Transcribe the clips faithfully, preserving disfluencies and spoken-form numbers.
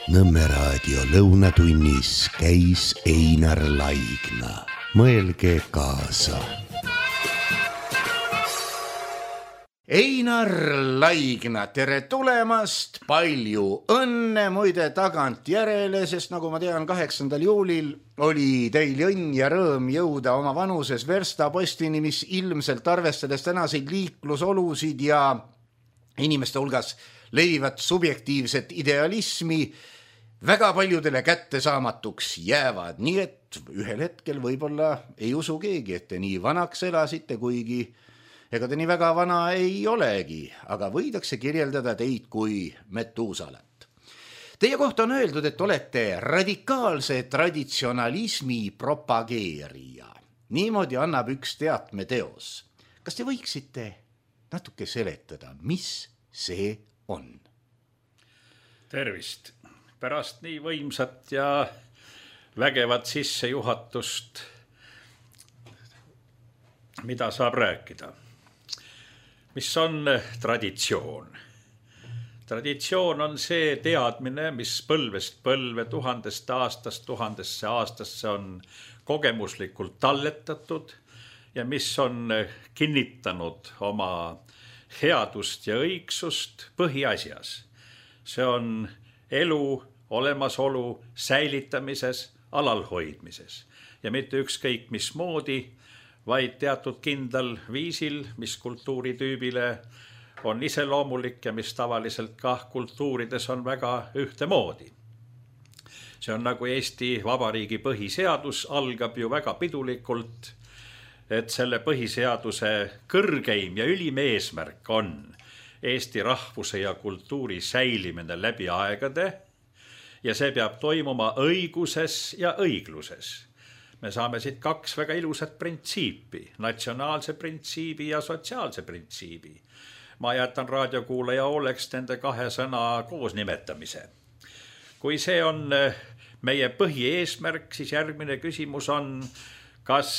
Nõmme raadio lõunatunnis käis Einar Laigna. Mõelge kaasa. Einar Laigna, tere tulemast, palju õnne muide tagant järele, sest nagu ma tean, kaheksandal juulil oli teil õnn ja rõõm jõuda oma vanuses verstapostini, mis ilmselt arvestades tänaseid liiklusolusid ja inimeste hulgas levivat subjektiivset idealismi väga paljudele kättesaamatuks jäävad, nii et ühel hetkel võib-olla ei usu keegi, et te nii vanaks elasite, kuigi ega te nii väga vana ei olegi, aga võidakse kirjeldada teid kui Metuusalat. Teie kohta on öeldud, et olete radikaalse traditsionalismi propageerija. Niimoodi annab üks teatmeteos. Kas te võiksite natuke seletada, mis see on? Tervist! Pärast nii võimsat ja vägevat sissejuhatust, mida saab rääkida. Mis on traditsioon? Traditsioon on see teadmine, mis põlvest põlve, tuhandest aastast, tuhandesse aastasse on kogemuslikult talletatud ja mis on kinnitanud oma headust ja õigsust põhiasjas. See on elu, olemasolu, säilitamises, alalhoidmises ja mitte ükskõik mismoodi, vaid teatud kindlal viisil, mis kultuuritüübile on iseloomulik ja mis tavaliselt ka kultuurides on väga ühtemoodi. See on nagu Eesti Vabariigi põhiseadus, algab ju väga pidulikult, et selle põhiseaduse kõrgeim ja ülim eesmärk on Eesti rahvuse ja kultuuri säilimine läbi aegade ja see peab toimuma õiguses ja õigluses. Me saame siit kaks väga ilusat printsiipi, natsionaalse printsiibi ja sotsiaalse printsiibi. Ma jätan raadiokuulaja oleks nende kahe sõna koos nimetamise. Kui see on meie põhieesmärk, siis järgmine küsimus on, kas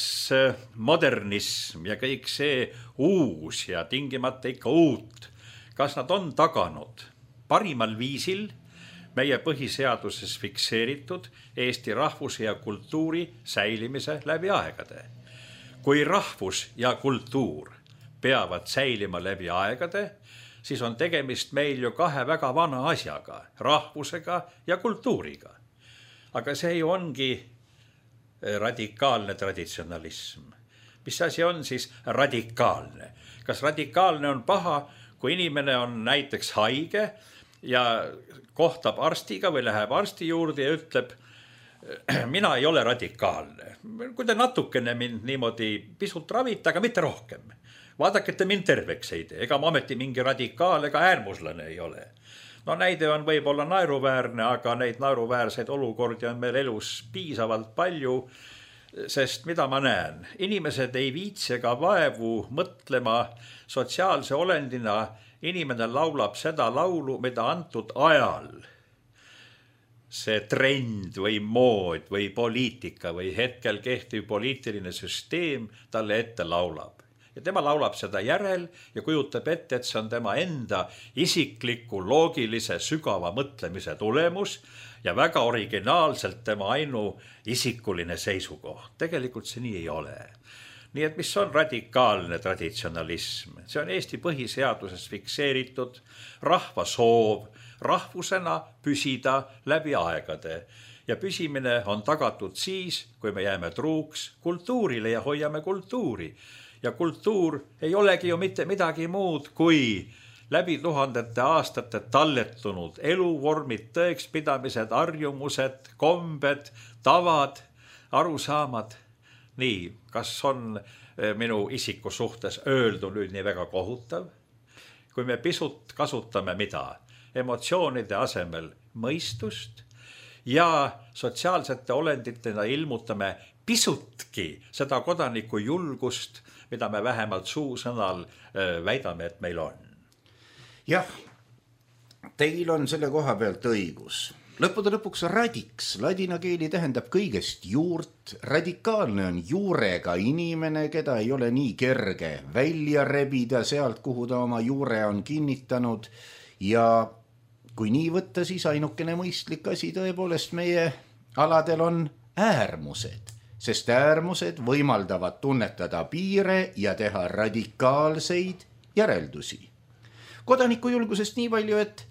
modernism ja kõik see uus ja tingimata ikka uut, kas nad on taganud parimal viisil meie põhiseaduses fikseeritud Eesti rahvuse ja kultuuri säilimise läbi aegade. Kui rahvus ja kultuur peavad säilima läbi aegade, siis on tegemist meil ju kahe väga vana asjaga, rahvusega ja kultuuriga. Aga see ju ongi radikaalne traditsionalism. Mis asi on siis radikaalne? Kas radikaalne on paha, kui inimene on näiteks haige ja kohtab arstiga või läheb arsti juurde ja ütleb, mina ei ole radikaalne. Kui te natukene mind niimoodi pisut ravite, aga mitte rohkem. Vaadake, et te mind terveks ei tee. Ega ma ometi mingi radikaal ega äärmuslane ei ole. No näide on võib-olla naeruväärne, aga neid naeruväärseid olukordi on meil elus piisavalt palju, sest mida ma näen? Inimesed ei viitsi ega vaevu mõtlema sotsiaalse olendina. Inimene laulab seda laulu, mida antud ajal see trend või mood või poliitika või hetkel kehtiv poliitiline süsteem talle ette laulab. Ja tema laulab seda järel ja kujutab ette, et see on tema enda isikliku, loogilise, sügava mõtlemise tulemus ja väga originaalselt tema ainu isikuline seisukoht. Tegelikult see nii ei ole. Nii et mis on radikaalne traditsionalism? See on Eesti põhiseaduses fikseeritud rahva soov rahvusena püsida läbi aegade. Ja püsimine on tagatud siis, kui me jääme truuks kultuurile ja hoiame kultuuri. Ja kultuur ei olegi ju mitte midagi muud kui läbi tuhandete aastate talletunud eluvormid, tõekspidamised, harjumused, kombed, tavad, arusaamad. Nii, kas on minu isiku suhtes öeldu nüüd nii väga kohutav? Kui me pisut kasutame mida? Emotsioonide asemel mõistust ja sotsiaalsete olenditena ilmutame pisutki seda kodaniku julgust, mida me vähemalt suusõnal väidame, et meil on. Jah, teil on selle koha pealt õigus. Lõppude lõpuks radiks, ladina keeli tähendab kõigest juurt. Radikaalne on juurega inimene, keda ei ole nii kerge välja rebida sealt, kuhu ta oma juure on kinnitanud. Ja kui nii võtta, siis ainukene mõistlik asi tõepoolest meie aladel on äärmused, sest äärmused võimaldavad tunnetada piire ja teha radikaalseid järeldusi. Kodanikujulgusest nii palju, et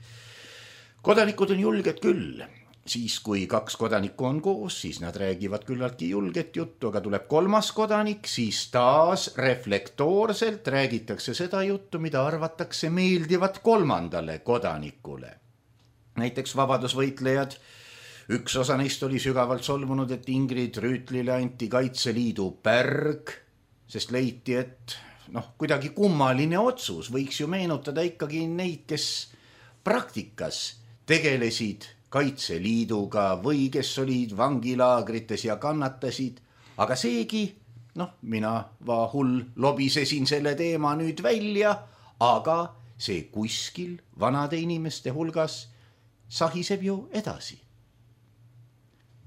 kodanikud on julged küll. Siis kui kaks kodanikku on koos, siis nad räägivad küllaltki julget juttu, aga tuleb kolmas kodanik, siis taas reflektoorselt räägitakse seda juttu, mida arvatakse meeldivat kolmandale kodanikule. Näiteks vabadusvõitlejad, üks osa neist oli sügavalt solvunud, et Ingrid Rüütlile anti Kaitseliidu pärg, sest leiti, et noh, kuidagi kummaline otsus, võiks ju meenutada ikkagi neid, kes praktikas tegelesid Kaitseliiduga või kes olid vangilaagrites ja kannatasid, aga seegi, noh, mina vahull lobisesin selle teema nüüd välja, aga see kuskil vanade inimeste hulgas sahiseb ju edasi.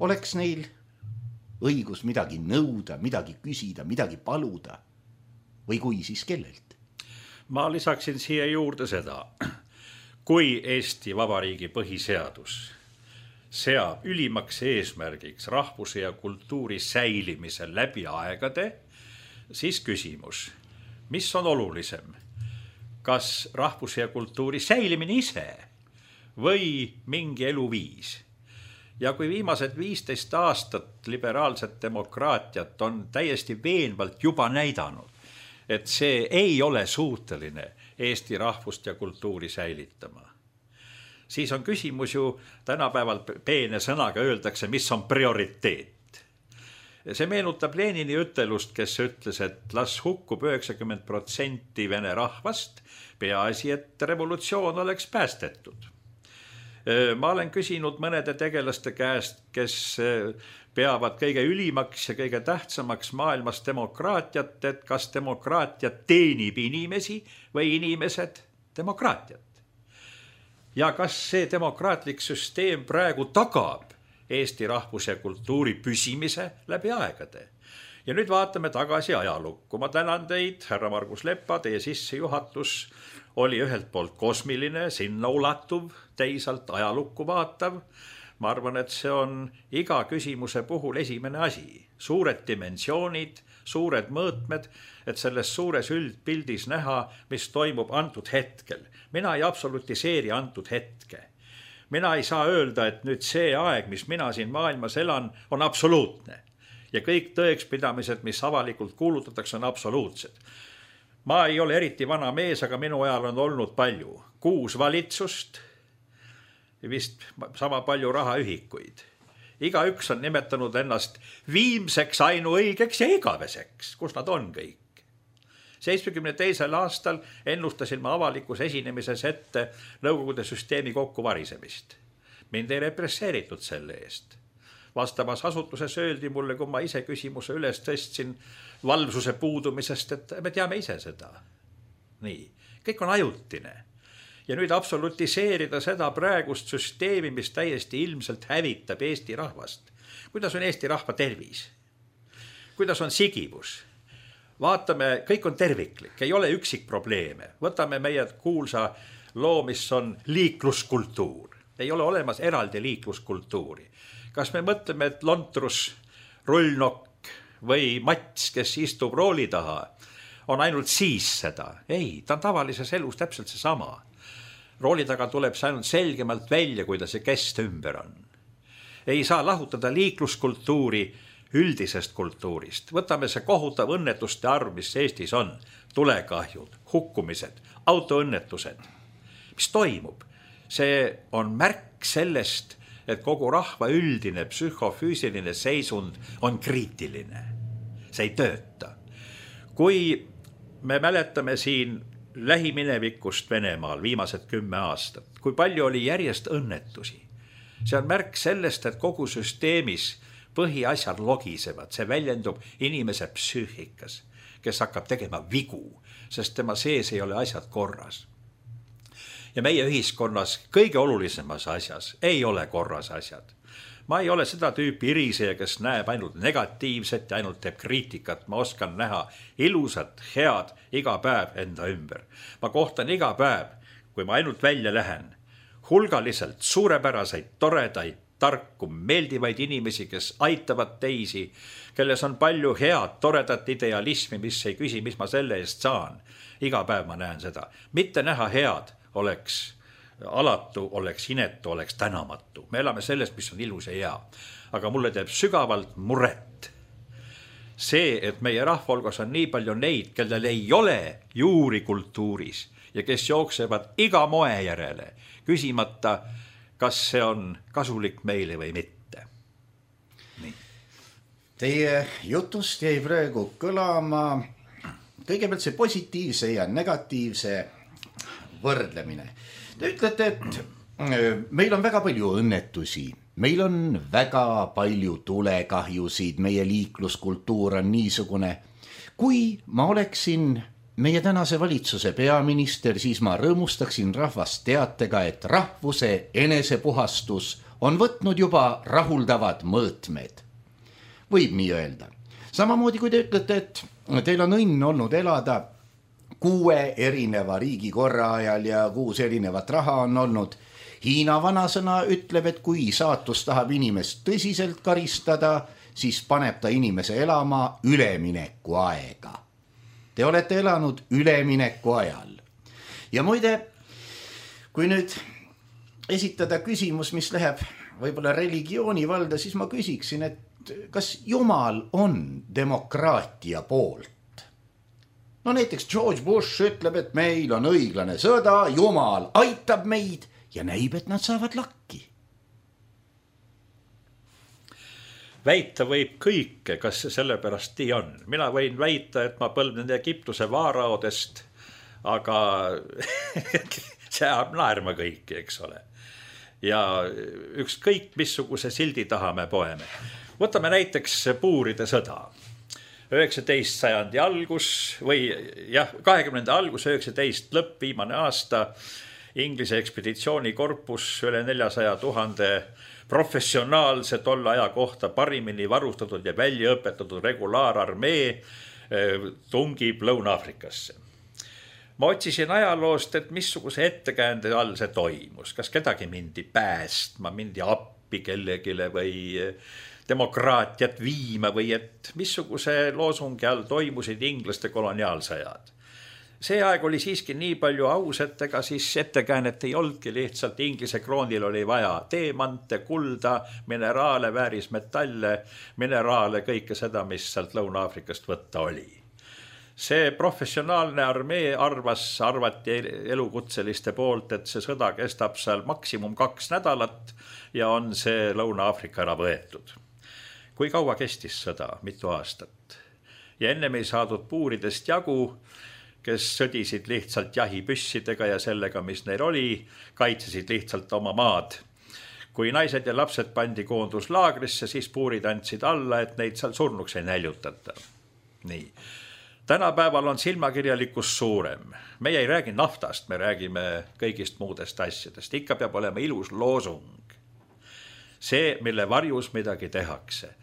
Oleks neil õigus midagi nõuda, midagi küsida, midagi paluda või kui siis kellelt? Ma lisaksin siia juurde seda. Kui Eesti Vabariigi põhiseadus seab ülimaks eesmärgiks rahvuse ja kultuuri säilimise läbi aegade, siis küsimus, mis on olulisem, kas rahvuse ja kultuuri säilimine ise või mingi eluviis? Ja kui viimased viisteist aastat liberaalset demokraatiat on täiesti veenvalt juba näidanud, et see ei ole suuteline Eesti rahvust ja kultuuri säilitama, siis on küsimus ju tänapäeval peene sõnaga öeldakse, mis on prioriteet. See meenutab Lenini ütelust, kes ütles, et las hukkub üheksakümmend protsenti vene rahvast, peaasi, et revolutsioon oleks päästetud. Ma olen küsinud mõnede tegelaste käest, kes peavad kõige ülimaks ja kõige tähtsamaks maailmas demokraatiat, et kas demokraatia teenib inimesi või inimesed demokraatiat. Ja kas see demokraatlik süsteem praegu tagab Eesti rahvuse ja kultuuri püsimise läbi aegade. Ja nüüd vaatame tagasi ajalukku. Ma tänan teid, härra Margus Leppa, teie sissejuhatus oli ühelt poolt kosmiline, sinna ulatuv, teisalt ajalukku vaatav. Ma arvan, et see on iga küsimuse puhul esimene asi. Suured dimensioonid, suured mõõtmed, et selles suures üldpildis näha, mis toimub antud hetkel. Mina ei absolutiseeri antud hetke. Mina ei saa öelda, et nüüd see aeg, mis mina siin maailmas elan, on absoluutne. Ja kõik tõekspidamised, mis avalikult kuulutatakse, on absoluutsed. Ma ei ole eriti vana mees, aga minu ajal on olnud palju. Kuus valitsust, vist sama palju rahaühikuid. Iga üks on nimetanud ennast viimseks, ainuõigeks ja igaveseks. Kus nad on kõik? seitsmekümne teisel aastal ennustasin ma avalikus esinemises ette Nõukogude süsteemi kokkuvarisemist. Mind ei represseeritud selle eest. Vastavas asutuses öeldi mulle, kui ma ise küsimuse üles tõstsin valvsuse puudumisest, et me teame ise seda. Nii, kõik on ajutine. Ja nüüd absolutiseerida seda praegust süsteemi, mis täiesti ilmselt hävitab Eesti rahvast. Kuidas on Eesti rahva tervis? Kuidas on sigivus? Vaatame, kõik on terviklik, ei ole üksik probleeme. Võtame meie kuulsa loo, mis on liikluskultuur. Ei ole olemas eraldi liikluskultuuri. Kas me mõtleme, et lontrus, rullnokk või mats, kes istub rooli taha, on ainult siis seda? Ei, ta on tavalises elus täpselt see sama. Rooli taga tuleb see ainult selgemalt välja, kuidas see kest ümber on. Ei saa lahutada liikluskultuuri üldisest kultuurist. Võtame see kohutav õnnetuste arv, mis Eestis on. Tulekahjud, hukkumised, autoõnnetused. Mis toimub? See on märk sellest, et kogu rahva üldine psühhofüüsiline seisund on kriitiline. See ei tööta. Kui me mäletame siin lähiminevikust Venemaal viimased kümme aastat, kui palju oli järjest õnnetusi. See on märk sellest, et kogu süsteemis põhiasjad logisevad, see väljendub inimese psüühikas, kes hakkab tegema vigu, sest tema sees ei ole asjad korras. Ja meie ühiskonnas kõige olulisemas asjas ei ole korras asjad. Ma ei ole seda tüüpi iriseja, kes näeb ainult negatiivset ja ainult teeb kriitikat. Ma oskan näha ilusat, head iga päev enda ümber. Ma kohtan iga päev, kui ma ainult välja lähen, hulgaliselt suurepäraseid, toredaid, tarku, meeldivaid inimesi, kes aitavad teisi, kelles on palju head, toredat idealismi, mis ei küsi, mis ma selle eest saan. Iga päev ma näen seda. Mitte näha head oleks alatu, oleks inetu, oleks tänamatu. Me elame sellest, mis on ilus ja hea. Aga mulle teeb sügavalt muret see, et meie rahvalgas on nii palju neid, kellel ei ole juuri kultuuris ja kes jooksevad iga moe järele, küsimata, kas see on kasulik meile või mitte. Nii. Teie jutust jäi praegu kõlama kõigepealt see positiivse ja negatiivse võrdlemine. Te ütlete, et meil on väga palju õnnetusi, meil on väga palju tulekahjusid, meie liikluskultuur on niisugune. Kui ma oleksin meie tänase valitsuse peaminister, siis ma rõõmustaksin rahvast teatega, et rahvuse enesepuhastus on võtnud juba rahuldavad mõõtmed. Võib nii öelda. Samamoodi kui te ütlete, et teil on õnn olnud elada kuue erineva riigi korra ajal ja kuus erinevat raha on olnud. Hiina vanasõna ütleb, et kui saatus tahab inimest tõsiselt karistada, siis paneb ta inimese elama ülemineku aega. Te olete elanud ülemineku ajal. Ja muide, kui nüüd esitada küsimus, mis läheb võib-olla religiooni valda, siis ma küsiksin, et kas Jumal on demokraatia poolt? No näiteks George Bush ütleb, et meil on õiglane sõda, Jumal aitab meid ja näib, et nad saavad lakki. Väita võib kõike, kas see sellepärast nii on. Mina võin väita, et ma põlvnen Egiptuse vaaraodest, aga see ajab naerma kõiki, eks ole. Ja ükskõik missuguse sildi taha me poeme. Võtame näiteks puuride sõda. üheksateist sajandi algus või jah, kahekümnenda algus, üheksateist lõpp, viimane aasta, Inglise ekspeditsioonikorpus üle neljasaja tuhande professionaalse tolle aja kohta parimini varustatud ja välja õpetatud regulaararmee tungib Lõuna-Afrikasse. Ma otsisin ajaloost, et missuguse ettekäände all see toimus. Kas kedagi mindi päästma, mindi appi kellegile või demokraatiat viima või et missuguse loosungi all toimusid inglaste koloniaalsõjad. See aeg oli siiski nii palju aus, et ega siis ettekäänet ei olnudki, lihtsalt Inglise kroonil oli vaja teemante, kulda, mineraale, väärismetalle, mineraale, kõike seda, mis sealt Lõuna-Afrikast võtta oli. See professionaalne armee arvas, arvati elukutseliste poolt, et see sõda kestab seal maksimum kaks nädalat ja on see Lõuna-Afrika ära võetud. Kui kaua kestis sõda? Mitu aastat. Ja ennem ei saadud puuridest jagu, kes sõdisid lihtsalt jahipüssidega ja sellega, mis neil oli, kaitsesid lihtsalt oma maad. Kui naised ja lapsed pandi koonduslaagrisse, siis puurid andsid alla, et neid seal surnuks ei näljutata. Nii. Tänapäeval on silmakirjalikkus suurem. Meie ei räägi naftast, me räägime kõigist muudest asjadest. Ikka peab olema ilus loosung. See, mille varjus midagi tehakse.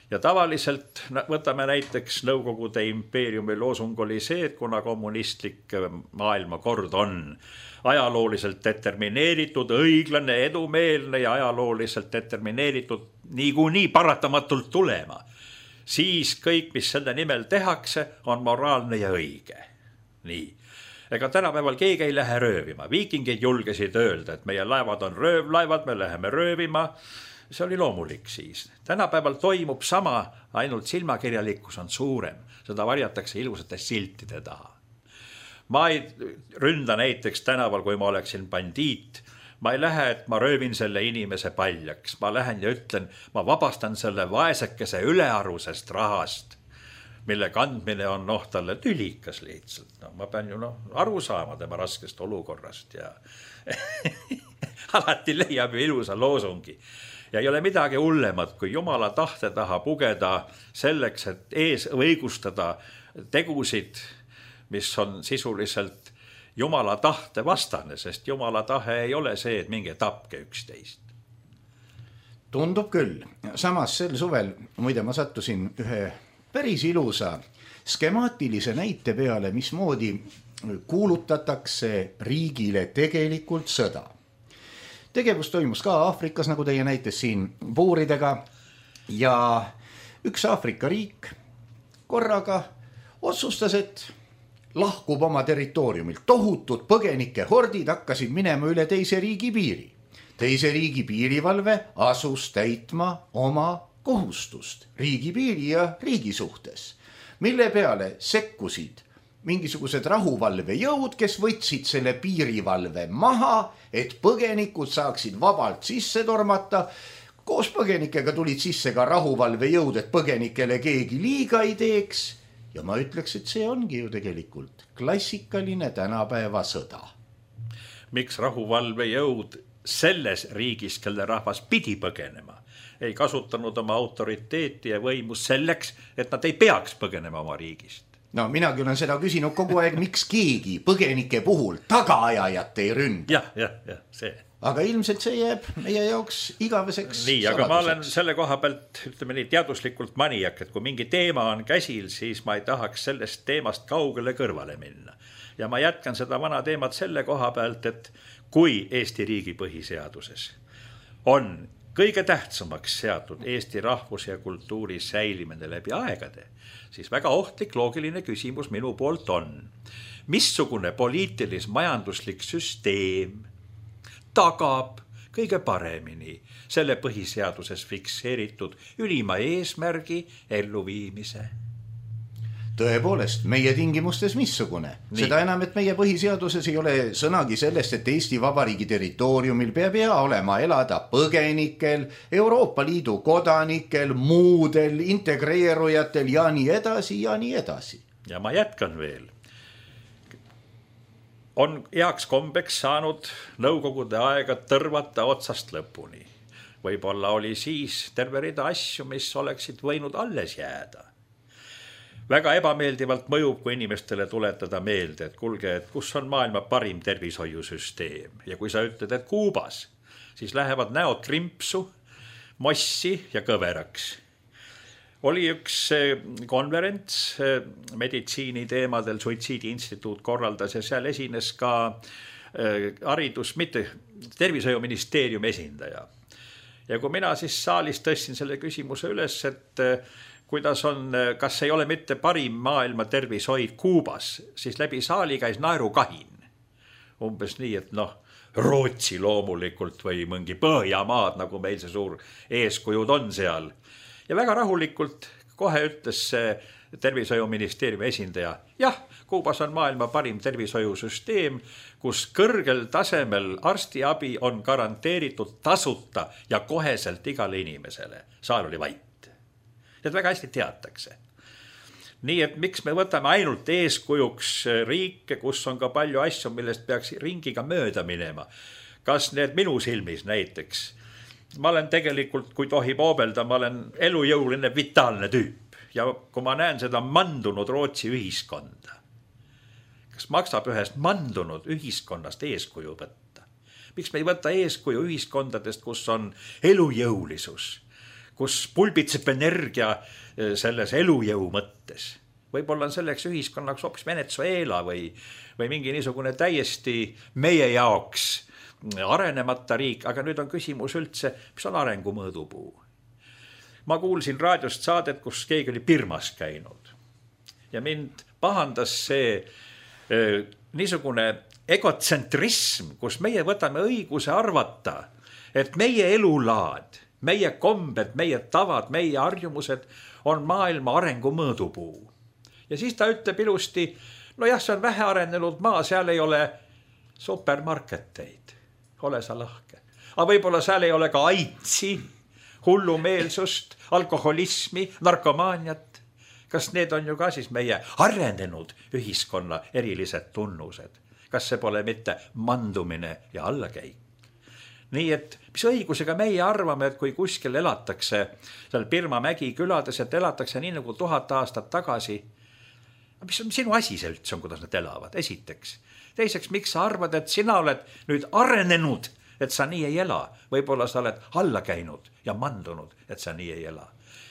Ja tavaliselt võtame näiteks Nõukogude impeeriumi loosung oli see, et kuna kommunistlik maailmakord on ajalooliselt determineeritud, õiglane, edumeelne ja ajalooliselt determineeritud niikuinii paratamatult tulema, siis kõik, mis selle nimel tehakse, on moraalne ja õige. Nii. Ega tänapäeval keegi ei lähe röövima. Viikingid julgesid öelda, et meie laevad on röövlaevad, me läheme röövima. See oli loomulik siis. Tänapäeval toimub sama, ainult silmakirjalikkus on suurem. Seda varjatakse ilusate siltide taha. Ma ei ründa näiteks tänaval, kui ma oleksin bandiit. Ma ei lähe, et ma röövin selle inimese paljaks. Ma lähen ja ütlen, ma vabastan selle vaesekese ülearusest rahast, mille kandmine on noh talle tülikas lihtsalt. No, ma pean ju no, aru saama tema raskest olukorrast ja alati leiab ju ilusa loosungi. Ja ei ole midagi hullemat, kui Jumala tahte taha pugeda selleks, et ees õigustada tegusid, mis on sisuliselt Jumala tahte vastane, sest Jumala tahe ei ole see, et minge tapke üksteist. Tundub küll. Samas sel suvel, muide ma sattusin ühe päris ilusa skemaatilise näite peale, mismoodi kuulutatakse riigile tegelikult sõda. tegevus toimus ka Aafrikas, nagu teie näites siin puuridega ja üks Aafrika riik korraga otsustas, et lahkub oma territooriumilt. Tohutud põgenike hordid hakkasid minema üle teise riigi piiri. Teise riigi piirivalve asus täitma oma kohustust riigi piiri ja riigi suhtes, mille peale sekkusid mingisugused rahuvalvejõud, kes võtsid selle piirivalve maha, et põgenikud saaksid vabalt sisse tormata. Koos põgenikega tulid sisse ka rahuvalvejõud, et põgenikele keegi liiga ei teeks. Ja ma ütleks, et see ongi ju tegelikult klassikaline tänapäeva sõda. Miks rahuvalvejõud selles riigis, kelle rahvas pidi põgenema, ei kasutanud oma autoriteeti ja võimu selleks, et nad ei peaks põgenema oma riigist? No minagi olen seda küsinud kogu aeg, miks keegi põgenike puhul tagaajajat ei ründa. Jah, jah, jah, see. Aga ilmselt see jääb meie jaoks igaveseks nii, aga saladuseks. Ma olen selle koha pealt, ütleme nii, teaduslikult maniak, et kui mingi teema on käsil, siis ma ei tahaks sellest teemast kaugele kõrvale minna. Ja ma jätkan seda vana teemat selle koha pealt, et kui Eesti riigi põhiseaduses on kõige tähtsamaks seatud Eesti rahvuse ja kultuuri säilimine läbi aegade, siis väga ohtlik loogiline küsimus minu poolt on, missugune poliitilis-majanduslik süsteem tagab kõige paremini selle põhiseaduses fikseeritud ülima eesmärgi elluviimise. Tõepoolest, meie tingimustes missugune. Nii. Seda enam, et meie põhiseaduses ei ole sõnagi sellest, et Eesti Vabariigi territooriumil peab hea olema elada põgenikel, Euroopa Liidu kodanikel, muudel integreerujatel ja nii edasi ja nii edasi. Ja ma jätkan veel. On heaks kombeks saanud nõukogude aega tõrvata otsast lõpuni. Võib-olla oli siis terve rida asju, mis oleksid võinud alles jääda. Väga ebameeldivalt mõjub, kui inimestele tuletada meelde, et kulge, et kus on maailma parim tervishoiusüsteem. Ja kui sa ütled, et Kuubas, siis lähevad näod krimpsu, mossi ja kõveraks. Oli üks konverents meditsiini teemadel, Suitsiidi instituut korraldas ja seal esines ka haridus, mitte tervishoiuministeeriumi esindaja. Ja kui mina siis saalis tõstsin selle küsimuse üles, et kuidas on, kas ei ole mitte parim maailma tervishoid Kuubas, siis läbi saali käis naerukahin. Umbes nii, et noh, Rootsi loomulikult või mõngi Põhjamaad, nagu meil see suur eeskujud on seal. Ja väga rahulikult kohe ütles see tervishoiuministeeriumi esindaja, jah, Kuubas on maailma parim tervishoiusüsteem, kus kõrgel tasemel arstiabi on garanteeritud tasuta ja koheselt igale inimesele. Saal oli vait. Et väga hästi teatakse. Nii et miks me võtame ainult eeskujuks riike, kus on ka palju asju, millest peaks ringiga mööda minema. Kas need minu silmis näiteks? Ma olen tegelikult, kui tohib oobelda, ma olen elujõuline vitaalne tüüp. Ja kui ma näen seda mandunud Rootsi ühiskonda, kas maksab ühest mandunud ühiskonnast eeskuju võtta? Miks me ei võta eeskuju ühiskondadest, kus on elujõulisus? Kus pulbitseb energia selles elujõu mõttes. Võib-olla on selleks ühiskonnaks hoopis Venezuela või, või mingi niisugune täiesti meie jaoks arenemata riik, aga nüüd on küsimus üldse, mis on arengu mõõdupuu. Ma kuulsin raadiost saadet, kus keegi oli Birmas käinud ja mind pahandas see eh, niisugune egotsentrism, kus meie võtame õiguse arvata, et meie elulaad, meie kombed, meie tavad, meie harjumused on maailma arengu mõõdupuu. Ja siis ta ütleb ilusti, no jah, see on vähe arenenud maa, seal ei ole supermarketeid, ole sa lahke. Aga võib-olla seal ei ole ka aitsi, hullumeelsust, alkoholismi, narkomaaniat. Kas need on ju ka siis meie arenenud ühiskonna erilised tunnused? Kas see pole mitte mandumine ja allakäik? Nii et mis õigusega meie arvame, et kui kuskil elatakse seal Birma mägi külades, et elatakse nii nagu tuhat aastat tagasi, mis on sinu asi see üldse on, kuidas nad elavad, esiteks. Teiseks, miks sa arvad, et sina oled nüüd arenenud, et sa nii ei ela? Võib-olla sa oled alla käinud ja mandunud, et sa nii ei ela.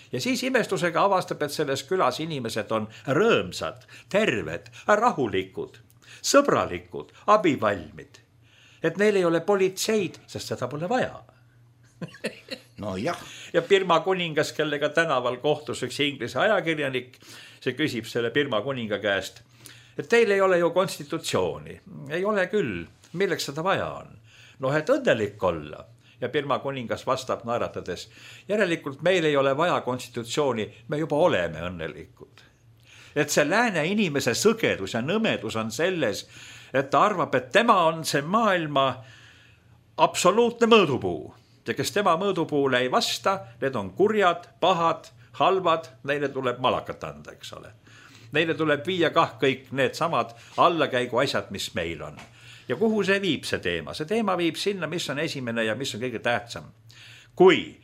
Ja siis imestusega avastab, et selles külas inimesed on rõõmsad, terved, rahulikud, sõbralikud, abivalmid. et neil ei ole politseid, sest seda pole vaja. no jah. Ja Birma kuningas, kellega tänaval kohtus üks inglise ajakirjanik, see küsib selle Birma kuninga käest, et teil ei ole ju konstitutsiooni. Ei ole küll, milleks seda vaja on? noh, et õnnelik olla. Ja Birma kuningas vastab naeratades, järelikult meil ei ole vaja konstitutsiooni, me juba oleme õnnelikud. Et see lääne inimese sõgedus ja nõmedus on selles, et ta arvab, et tema on see maailma absoluutne mõõdupuu. Ja kes tema mõõdupuule ei vasta, need on kurjad, pahad, halvad, neile tuleb malakat anda, eks ole. Neile tuleb viia kah kõik need samad allakäigu asjad, mis meil on. Ja kuhu see viib see teema? See teema viib sinna, mis on esimene ja mis on kõige tähtsam. Kui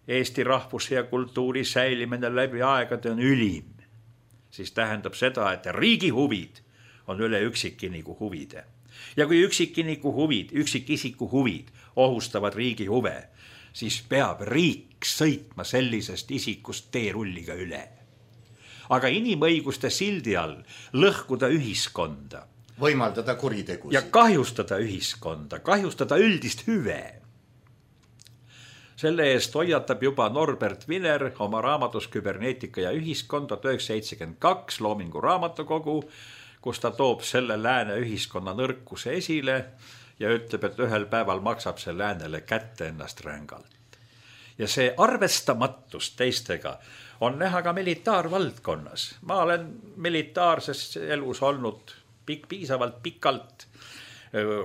Eesti rahvuse ja kultuuri säilimine läbi aegade on ülim, siis tähendab seda, et riigi huvid on üle üksikiniku huvide. Ja kui üksikiniku huvid, üksikisiku huvid ohustavad riigi huve, siis peab riik sõitma sellisest isikust teerulliga üle. Aga inimõiguste sildi all lõhkuda ühiskonda, võimaldada kuritegusid ja kahjustada ühiskonda, kahjustada üldist hüve. Selle eest hoiatab juba Norbert Wiener oma raamatus Küberneetika ja ühiskond tuhat üheksasada seitsekümmend kaks Loomingu raamatukogu, kus ta toob selle lääne ühiskonna nõrkuse esile ja ütleb, et ühel päeval maksab see läänele kätte ennast rängalt. Ja see arvestamatus teistega on näha ka militaarvaldkonnas. Ma olen militaarses elus olnud Pik, piisavalt pikalt,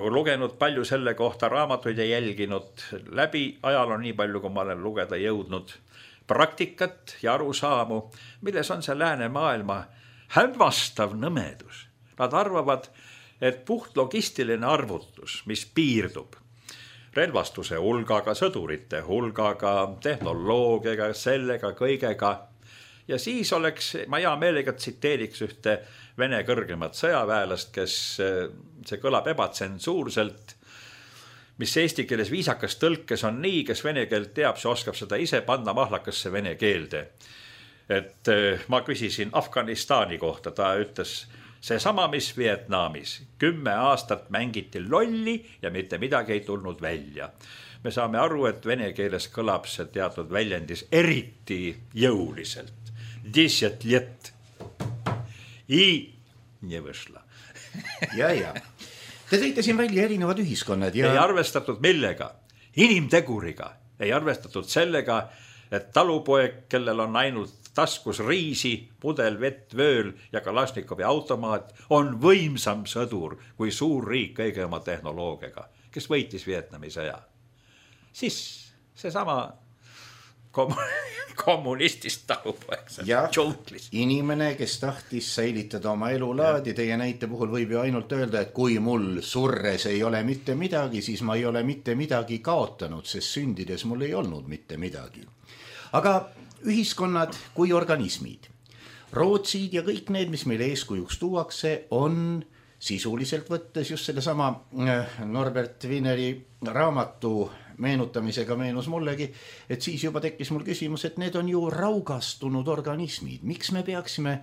lugenud palju selle kohta raamatuid ja jälginud läbi ajaloo nii palju, kui ma olen lugeda jõudnud praktikat ja arusaamu, milles on see lääne maailma hämmastav nõmedus. Nad arvavad, et puht logistiline arvutus, mis piirdub relvastuse hulgaga, sõdurite hulgaga, tehnoloogiaga, sellega, kõigega. Ja siis oleks, ma hea meelega tsiteeriks ühte Vene kõrgemat sõjaväelast, kes see kõlab ebatsensuurselt, mis eesti keeles viisakas tõlkes on nii, kes vene keelt teab, see oskab seda ise panna mahlakasse vene keelde. Et ma küsisin Afganistani kohta, ta ütles see sama, mis Vietnamis. Kümme aastat mängiti lolli ja mitte midagi ei tulnud välja. Me saame aru, et vene keeles kõlab see teatud väljendis eriti jõuliselt. Десять лет. И не вышло. ja, ja. Te tõite siin välja erinevad ühiskonnad. Ja... Ei arvestatud millega? Inimteguriga. Ei arvestatud sellega, et talupoeg, kellel on ainult taskus riisi, pudel, vett, vööl ja Kalašnikovi automaat, on võimsam sõdur kui suur riik kõige oma tehnoloogiaga, kes võitis Vietnami sõja. Siis see sama kommunistist talupoeg. Ja inimene, kes tahtis säilitada oma elulaadi, teie näite puhul võib ju ainult öelda, et kui mul surres ei ole mitte midagi, siis ma ei ole mitte midagi kaotanud, sest sündides mul ei olnud mitte midagi. Aga ühiskonnad kui organismid, Rootsid ja kõik need, mis meil eeskujuks tuuakse, on sisuliselt võttes just selle sama Norbert Wieneri raamatu meenutamisega meenus mullegi, et siis juba tekkis mul küsimus, et need on ju raugastunud organismid. Miks me peaksime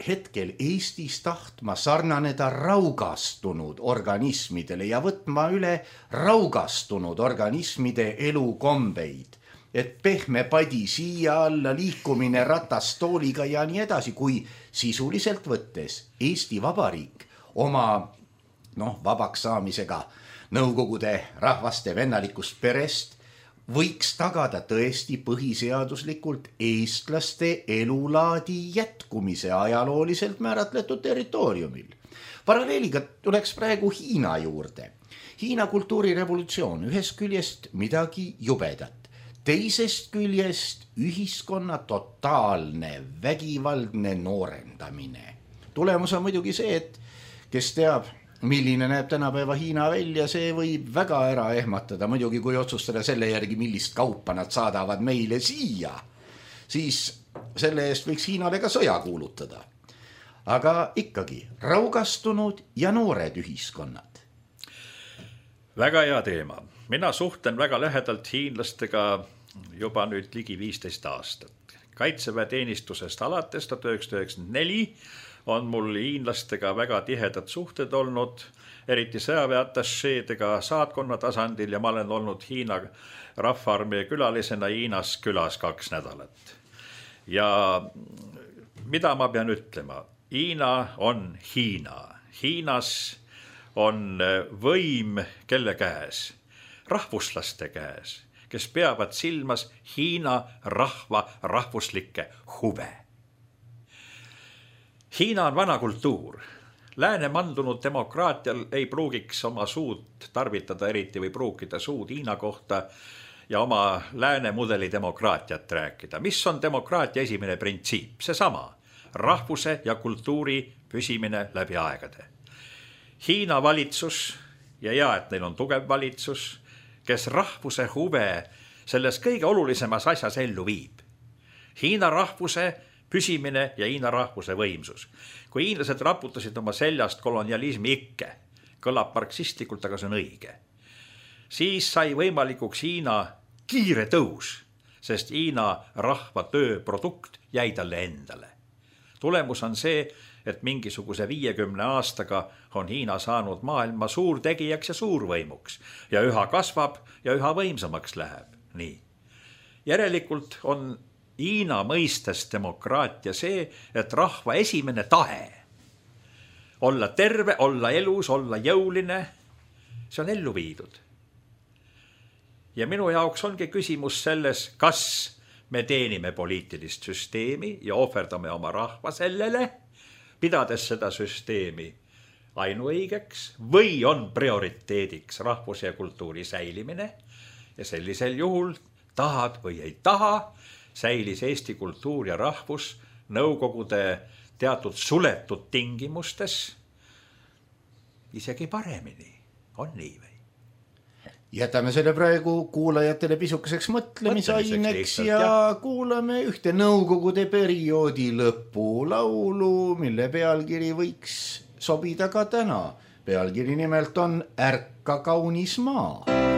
hetkel Eestis tahtma sarnaneda raugastunud organismidele ja võtma üle raugastunud organismide elukombeid? Et pehme padi siia alla, liikumine ratastooliga ja nii edasi, kui sisuliselt võttes Eesti Vabariik oma noh, vabaks saamisega Nõukogude rahvaste vennalikust perest võiks tagada tõesti põhiseaduslikult eestlaste elulaadi jätkumise ajalooliselt määratletud territooriumil. Paralleeliga tuleks praegu Hiina juurde. Hiina kultuurirevolutsioon, ühest küljest midagi jubedat, teisest küljest ühiskonna totaalne vägivaldne noorendamine. Tulemus on muidugi see, et kes teab, milline näeb tänapäeva Hiina välja, see võib väga ära ehmatada. Muidugi, kui otsustada selle järgi, millist kaupa nad saadavad meile siia, siis selle eest võiks Hiinale ka sõja kuulutada. Aga ikkagi raugastunud ja noored ühiskonnad. Väga hea teema. Mina suhtlen väga lähedalt hiinlastega juba nüüd ligi viisteist aastat. Kaitseväeteenistusest alates tuhat üheksasada üheksakümmend neli on mul hiinlastega väga tihedad suhted olnud. eriti sõjaväeatašeedega saatkonna tasandil ja ma olen olnud Hiina rahvaarmee külalisena Hiinas külas kaks nädalat. Ja mida ma pean ütlema? Hiina on Hiina. Hiinas on võim kelle käes? Rahvuslaste käes, kes peavad silmas Hiina rahva rahvuslikke huve. Hiina on vana kultuur. Lääne mandunud demokraatial ei pruugiks oma suud tarvitada eriti või pruukida suud Hiina kohta ja oma lääne mudeli demokraatiat rääkida. Mis on demokraatia esimene printsiip? Seesama, rahvuse ja kultuuri püsimine läbi aegade. Hiina valitsus, ja hea, et neil on tugev valitsus, kes rahvuse huve selles kõige olulisemas asjas ellu viib. Hiina rahvuse püsimine ja Hiina rahvuse võimsus. Kui hiinlased raputasid oma seljast kolonialismi ikke, kõlab marksistlikult, aga see on õige, siis sai võimalikuks Hiina kiire tõus, sest Hiina rahva töö produkt jäi talle endale. Tulemus on see, et mingisuguse viiekümne aastaga on Hiina saanud maailma suurtegijaks ja suurvõimuks ja üha kasvab ja üha võimsamaks läheb. Nii. Järelikult on Hiina mõistes demokraatia see, et rahva esimene tahe olla terve, olla elus, olla jõuline, see on ellu viidud. Ja minu jaoks ongi küsimus selles, kas me teenime poliitilist süsteemi ja ohverdame oma rahva sellele, pidades seda süsteemi ainuõigeks või on prioriteediks rahvuse ja kultuuri säilimine ja sellisel juhul tahad või ei taha, säilis Eesti kultuur ja rahvus nõukogude teatud suletud tingimustes isegi paremini. On nii või? Jätame selle praegu kuulajatele pisukeseks mõtlemisaineks ja, ja kuulame ühte nõukogude perioodi lõpulaulu, mille pealkiri võiks sobida ka täna. Pealkiri nimelt on Ärka kaunis maa. Kaunis maa.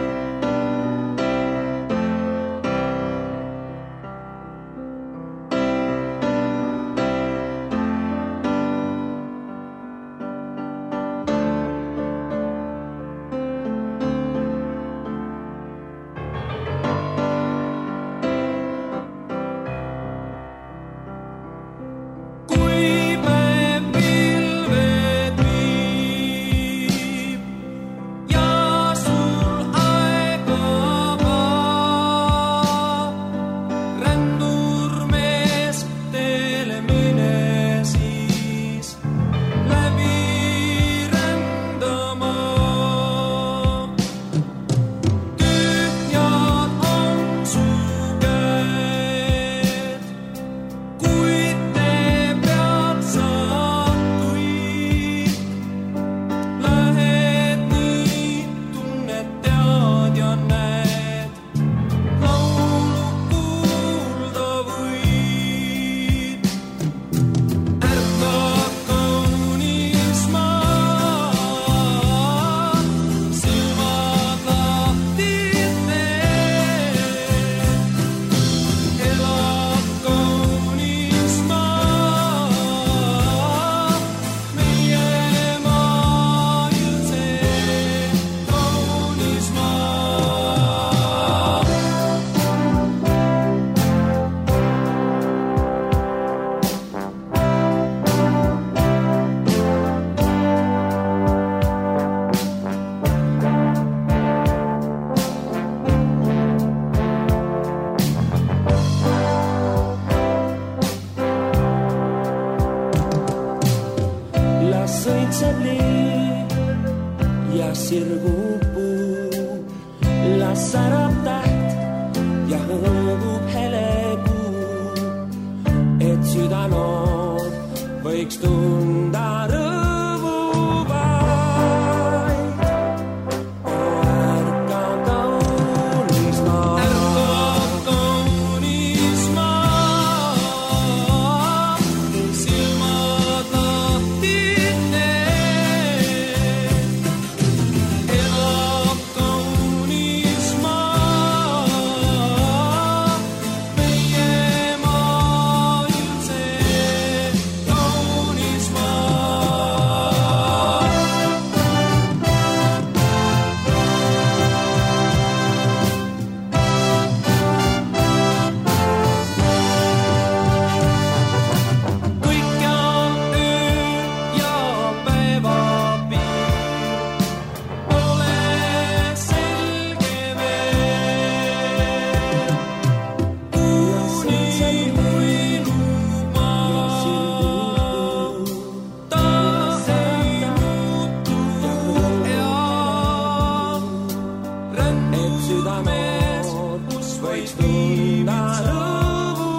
et südamees, kus võiks tunda lõbu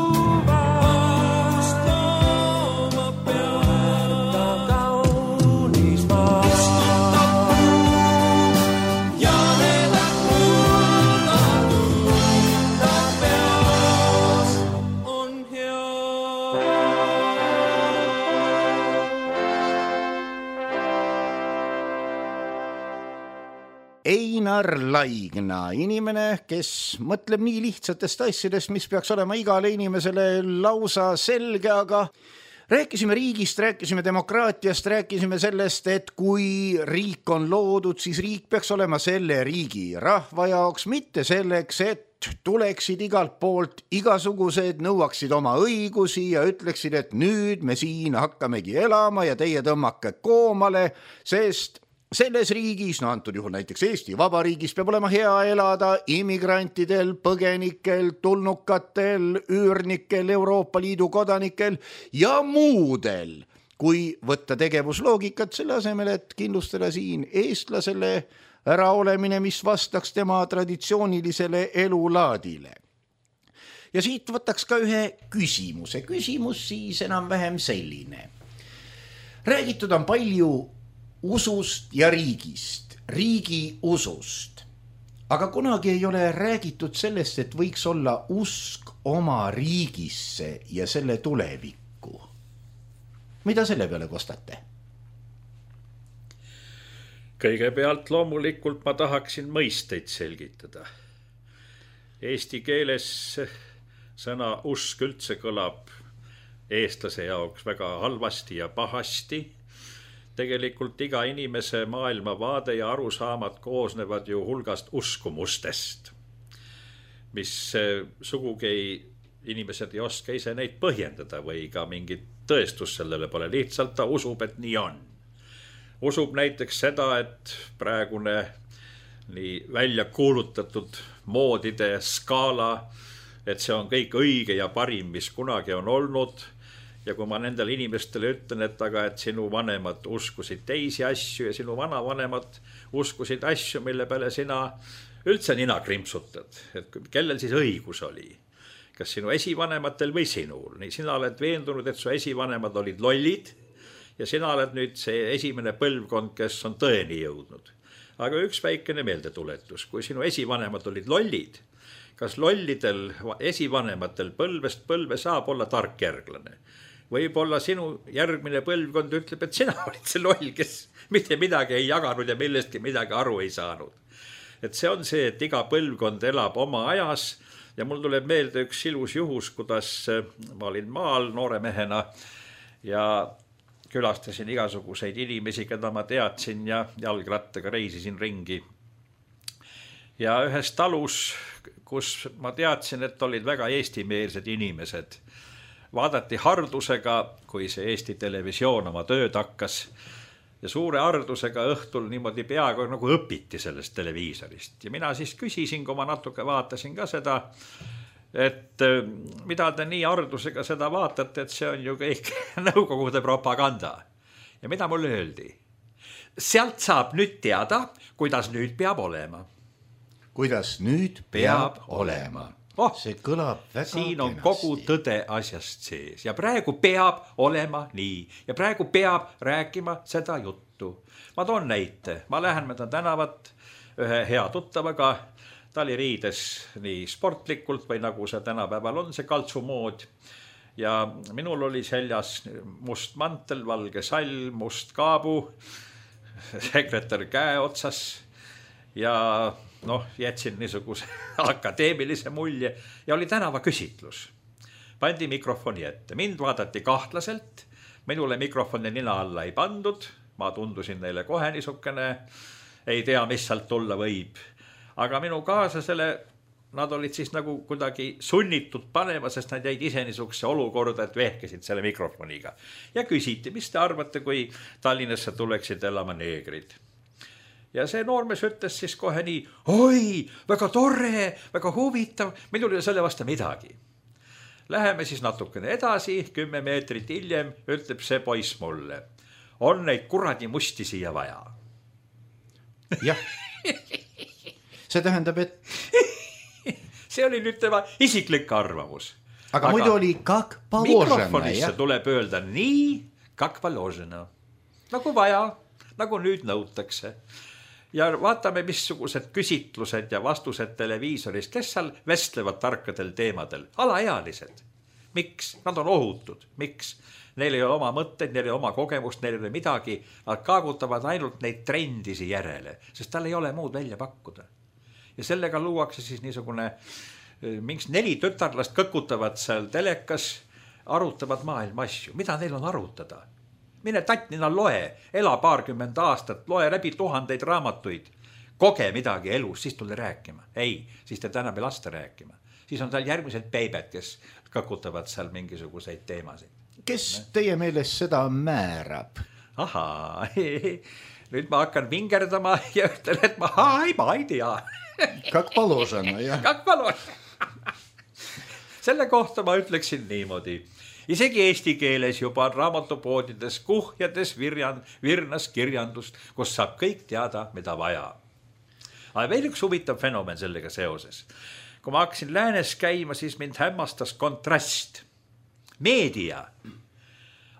vast looma peada kaunis maa. Ja need kulda tunda peas on hea. Einar Laigna, inimene, kes mõtleb nii lihtsatest asjadest, mis peaks olema igale inimesele lausa selge, aga rääkisime riigist, rääkisime demokraatiast, rääkisime sellest, et kui riik on loodud, siis riik peaks olema selle riigi rahva jaoks, mitte selleks, et tuleksid igalt poolt igasugused, nõuaksid oma õigusi ja ütleksid, et nüüd me siin hakkamegi elama ja teie tõmmake koomale, sest selles riigis, no antud juhul näiteks Eesti Vabariigis, peab olema hea elada immigrantidel, põgenikel, tulnukatel, üürnikel, Euroopa Liidu kodanikel ja muudel, kui võtta tegevusloogikat selle asemel, et kindlustada siin eestlasele äraolemine, mis vastaks tema traditsioonilisele elulaadile. Ja siit võtaks ka ühe küsimuse. Küsimus siis enam-vähem selline. Räägitud on palju usust ja riigist, riigi usust. Aga kunagi ei ole räägitud sellest, et võiks olla usk oma riigisse ja selle tulevikku. Mida selle peale kostate? Kõigepealt loomulikult ma tahaksin mõisteid selgitada. Eesti keeles sõna usk üldse kõlab eestlase jaoks väga halvasti ja pahasti. Tegelikult iga inimese maailmavaade ja arusaamad koosnevad ju hulgast uskumustest, mis sugugi inimesed ei oska ise neid põhjendada või ka mingit tõestust sellele pole. Lihtsalt ta usub, et nii on. Usub näiteks seda, et praegune nii välja kuulutatud moodide skaala, et see on kõik õige ja parim, mis kunagi on olnud. Ja kui ma nendele inimestele ütlen, et aga et sinu vanemad uskusid teisi asju ja sinu vanavanemad uskusid asju, mille peale sina üldse nina krimpsutad, et kellel siis õigus oli, kas sinu esivanematel või sinul. Nii sina oled veendunud, et su esivanemad olid lollid ja sina oled nüüd see esimene põlvkond, kes on tõeni jõudnud. Aga üks väikene meeldetuletus, kui sinu esivanemad olid lollid, kas lollidel esivanematel põlvest põlve saab olla tark järglane? Võib-olla sinu järgmine põlvkond ütleb, et sina olid see loll, kes mitte midagi ei jaganud ja millestki midagi aru ei saanud. Et see on see, et iga põlvkond elab oma ajas ja mul tuleb meelde üks ilus juhus, kuidas ma olin maal noore mehena ja külastasin igasuguseid inimesi, keda ma teadsin ja jalgrattaga reisisin ringi. Ja ühes talus, kus ma teadsin, et olid väga eestimeelsed inimesed, vaadati hardusega, kui see Eesti televisioon oma tööd hakkas ja suure hardusega õhtul niimoodi peaaegu nagu õpiti sellest televiisorist. Ja mina siis küsisin, kui ma natuke vaatasin ka seda, et mida te nii hardusega seda vaatate, et see on ju kõik nõukogude propaganda. Ja mida mulle öeldi? Sealt saab nüüd teada, kuidas nüüd peab olema. Kuidas nüüd peab, peab olema. Oh, see kõlab väga siin on kenasti. Kogu tõde asjast sees ja praegu peab olema nii ja praegu peab rääkima seda juttu. Ma toon näite, ma lähen mööda tänavat ühe hea tuttavaga, ta oli riides nii sportlikult või nagu see tänapäeval on see kaltsumood ja minul oli seljas must mantel, valge sall, must kaabu, sekretär käe otsas ja noh, jätsin niisuguse akadeemilise mulje ja oli tänava küsitlus. Pandi mikrofoni ette. Mind vaadati kahtlaselt, minule mikrofoni nina alla ei pandud, ma tundusin neile kohe niisugune, ei tea, mis sealt tulla võib. Aga minu kaaslasele, nad olid siis nagu kuidagi sunnitud panema, sest nad jäid ise niisuguse olukorda, et vehkesid selle mikrofoniga. Ja küsiti, mis te arvate, kui Tallinnasse tuleksid elama neegrid? Ja see noormees ütles siis kohe nii, oi, väga tore, väga huvitav, minul ei ole selle vastu midagi. Läheme siis natukene edasi, kümme meetrit hiljem ütleb see poiss mulle, on neid kuradi musti siia vaja. Jah, see tähendab, et see oli nüüd tema isiklik arvamus. Aga, aga muidu oli kak položena. Mikrofonisse tuleb öelda nii, kak položena. Nagu vaja, nagu nüüd nõutakse. Ja vaatame, missugused küsitlused ja vastused televiisorist, kes seal vestlevad tarkadel teemadel. Alaealised. Miks? Nad on ohutud. Miks? Neil ei ole oma mõtteid, neil ei ole oma kogemust, neil ei ole midagi. Nad kaagutavad ainult neid trendisi järele, sest tal ei ole muud välja pakkuda. Ja sellega luuakse siis niisugune, mingi neli tütarlast kõkutavad seal telekas, arutavad maailma asju. Mida neil on arutada? Mine tatnina loe, ela paarkümmend aastat, loe läbi tuhandeid raamatuid, koge midagi elus, siis tule rääkima. Ei, siis te täna ei lasta rääkima. Siis on seal järgmised peibed, kes kõkutavad seal mingisuguseid teemasid. Kes teie meelest seda määrab? Ahaa, nüüd ma hakkan vingerdama ja ütlen, et ma, ai, ma ei tea. Kak položena, jah. Kak položena. Selle kohta ma ütleksin niimoodi. Isegi eesti keeles juba on raamatupoodides kuhjades virjan, virnas kirjandust, kus saab kõik teada, mida vaja. Aga veel üks huvitav fenomen sellega seoses. Kui ma hakkasin läänes käima, siis mind hämmastas kontrast. Meedia,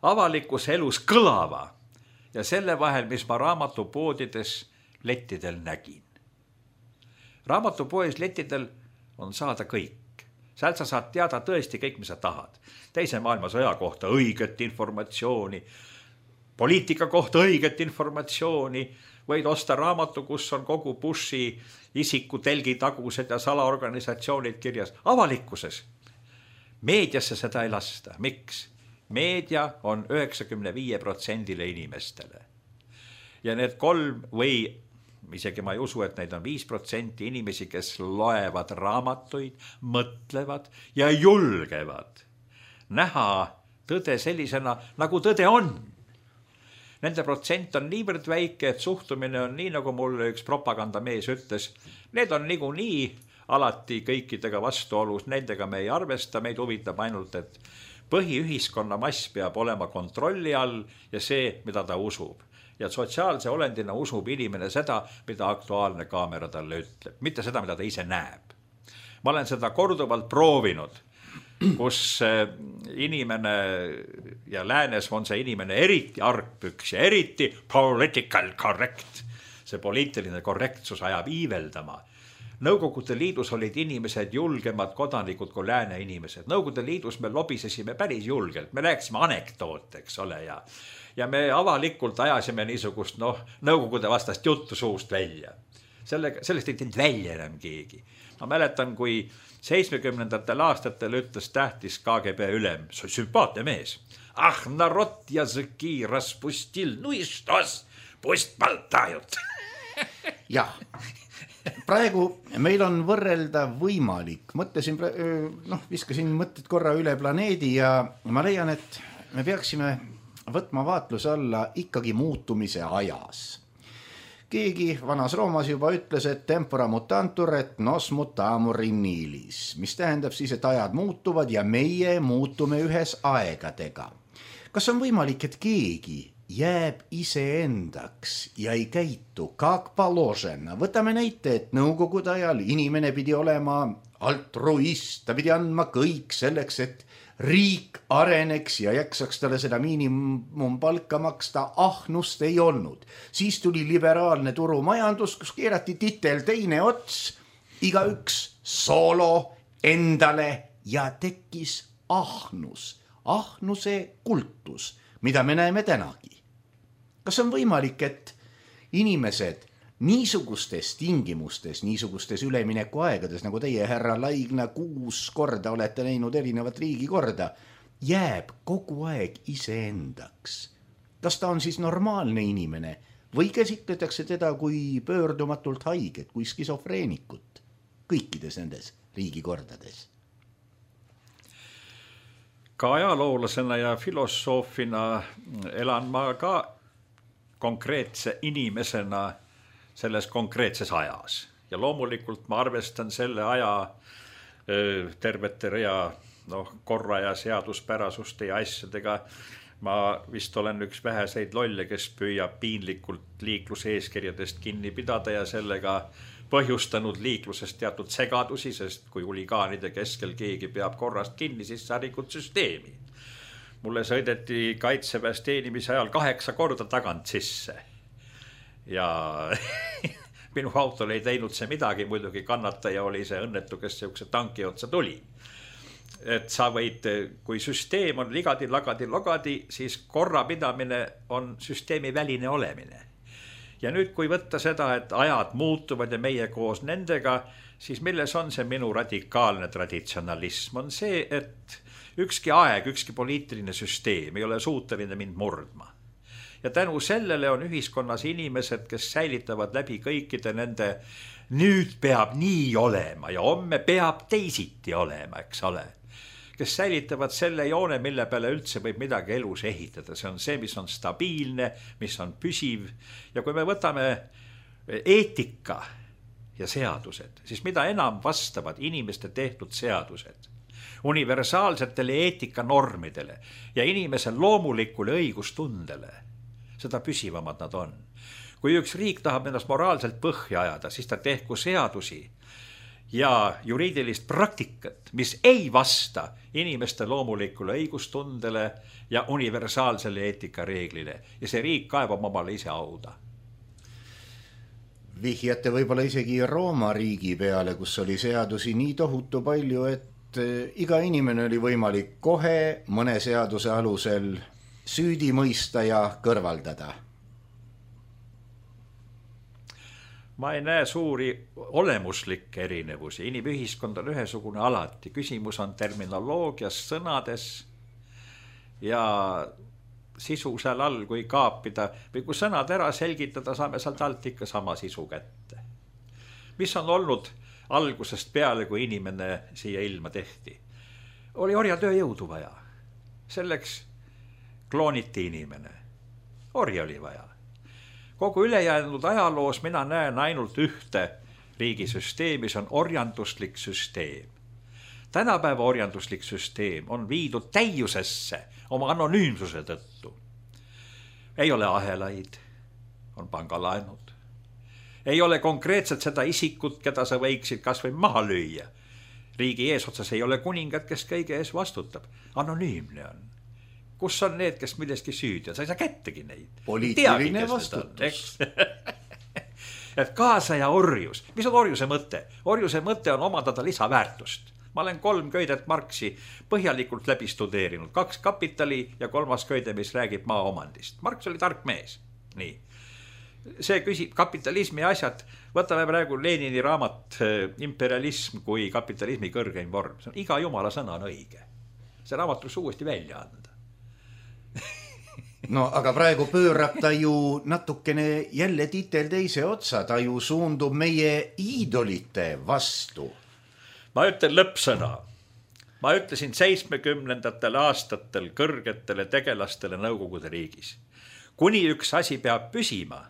avalikus elus kõlava ja selle vahel, mis ma raamatupoodides lettidel nägin. Raamatupoes lettidel on saada kõik. Seal sa saad teada tõesti kõik, mis sa tahad. Teise maailmasõja kohta õiget informatsiooni, poliitika kohta õiget informatsiooni, võid osta raamatu, kus on kogu Bushi isiku telgi tagused ja salaorganisatsioonid kirjas. Avalikkuses. Meediasse seda ei lasta. Miks? Meedia on üheksakümne viie protsendile inimestele. Ja need kolm või isegi ma ei usu, et neid on viis protsenti inimesi, kes loevad raamatuid, mõtlevad ja julgevad näha tõde sellisena, nagu tõde on. Nende protsent on niivõrd väike, et suhtumine on nii, nagu mulle üks propagandamees ütles. Need on nigu nii alati kõikidega vastuolus, nendega me ei arvesta, meid huvitab ainult, et põhiühiskonna mass peab olema kontrolli all ja see, mida ta usub. Ja sotsiaalse olendina usub inimene seda, mida aktuaalne kaamera talle ütleb, mitte seda, mida ta ise näeb. Ma olen seda korduvalt proovinud, kus inimene ja läänes on see inimene eriti argpüks ja eriti political correct. See poliitiline korrektsus ajab iiveldama. Nõukogude liidus olid inimesed julgemad kodanikud kui lääne inimesed. Nõukogude liidus me lobisesime päris julgelt. Me rääkisime anekdoote, eks ole, ja, ja me avalikult ajasime niisugust, noh, nõukogude vastast juttu suust välja. Selle, sellest ei teinud välja enam keegi. Ma mäletan, kui seitsmekümnendatel aastatel ütles tähtis K G B ülem, sümpaatne mees. Ah, narod языки распустил, ну и что, pust baltajut. Jah. Praegu meil on võrrelda võimalik. Mõtlesin, noh, viskasin mõtted korra üle planeedi ja ma leian, et me peaksime võtma vaatluse alla ikkagi muutumise ajas. Keegi vanas Roomas juba ütles, et tempora mutantur et nos mutamur in nilis, mis tähendab siis, et ajad muutuvad ja meie muutume ühes aegadega. Kas on võimalik, et keegi jääb iseendaks ja ei käitu kak položena? Võtame näite, et nõukogude ajal inimene pidi olema altruist, ta pidi andma kõik selleks, et riik areneks ja jaksaks talle seda miinimumpalka maksta, ahnust ei olnud. Siis tuli liberaalne turumajandus, kus keerati titel teine ots, igaüks soolo endale ja tekkis ahnus, ahnuse kultus, mida me näeme tänagi. Kas on võimalik, et inimesed niisugustes tingimustes, niisugustes ülemineku aegades, nagu teie, härra Laigna, kuus korda olete näinud erinevat riigi korda, jääb kogu aeg iseendaks? Kas ta on siis normaalne inimene või käsitletakse teda kui pöördumatult haiget, kui skisofreenikut kõikides nendes riigikordades? Ka ajaloolasena ja filosoofina elan ma ka konkreetse inimesena selles konkreetses ajas. Ja loomulikult ma arvestan selle aja tervete rea noh, korra ja seaduspärasuste ja asjadega. Ma vist olen üks väheseid lolle, kes püüab piinlikult liikluse eeskirjadest kinni pidada ja sellega põhjustanud liikluses teatud segadusi, sest kui huligaanide keskel keegi peab korrast kinni, siis sa rikud süsteemi. Mulle sõideti kaitseväes teenimise ajal kaheksa korda tagant sisse ja minu autol ei teinud see midagi, muidugi kannataja oli see õnnetu, kes siukse tanki otsa tuli. Et sa võid, kui süsteem on ligadi, lagadi, logadi, siis korrapidamine on süsteemi väline olemine. Ja nüüd, kui võtta seda, et ajad muutuvad ja meie koos nendega, siis milles on see minu radikaalne traditsionalism? On see, et ükski aeg, ükski poliitiline süsteem ei ole suuteline mind murdma. Ja tänu sellele on ühiskonnas inimesed, kes säilitavad läbi kõikide nende nüüd peab nii olema ja homme peab teisiti olema, eks ole. Kes säilitavad selle joone, mille peale üldse võib midagi elus ehitada. See on see, mis on stabiilne, mis on püsiv. Ja kui me võtame eetika ja seadused, siis mida enam vastavad inimeste tehtud seadused universaalsetele eetikanormidele ja inimese loomulikule õigustundele, seda püsivamad nad on. Kui üks riik tahab ennast moraalselt põhja ajada, siis ta tehku seadusi ja juriidilist praktikat, mis ei vasta inimeste loomulikule õigustundele ja universaalsele eetikareeglile. Ja see riik kaevab omale ise auda. Vihjate võib-olla isegi Rooma riigi peale, kus oli seadusi nii tohutu palju, et iga inimene oli võimalik kohe mõne seaduse alusel süüdi mõista ja kõrvaldada. Ma ei näe suuri olemuslikke erinevusi. Inimühiskond on ühesugune alati. Küsimus on terminoloogias, sõnades ja sisu seal all, kui kaapida. Või kui sõnad ära selgitada, saame sealt alt ikka sama sisu kätte. Mis on olnud algusest peale, kui inimene siia ilma tehti? Oli orjatööjõudu vaja. Selleks klooniti inimene. Orja oli vaja. Kogu ülejäänud ajaloos mina näen ainult ühte riigisüsteemi, see on orjanduslik süsteem. Tänapäeva orjanduslik süsteem on viidud täiusesse oma anonüümsuse tõttu. Ei ole ahelaid, on pangalaenud. Ei ole konkreetselt seda isikut, keda sa võiksid kas või maha lüüa. Riigi eesotsas ei ole kuningat, kes kõige ees vastutab. Anonüümne on. Kus on need, kes milleski süüdi on? Sa ei saa kättegi neid. Poliitiline vastutus. Et kaasa ja orjus. Mis on orjuse mõte? Orjuse mõte on omandada lisaväärtust. Ma olen kolm köidet Marxi põhjalikult läbi studeerinud. Kaks kapitali ja kolmas köide, mis räägib maa omandist. Marx oli tark mees. Nii. See küsib kapitalismi asjad. Võtame praegu Lenini raamat Imperialism kui kapitalismi kõrgeim vorm. See on iga jumala sõna on õige. See raamat tuleks uuesti välja anda. No aga praegu pöörab ta ju natukene jälle titel teise otsa, ta ju suundub meie iidolite vastu. Ma ütlen lõppsõna. Ma ütlesin seitsmekümnendatel aastatel kõrgetele tegelastele Nõukogude riigis. Kuni üks asi peab püsima,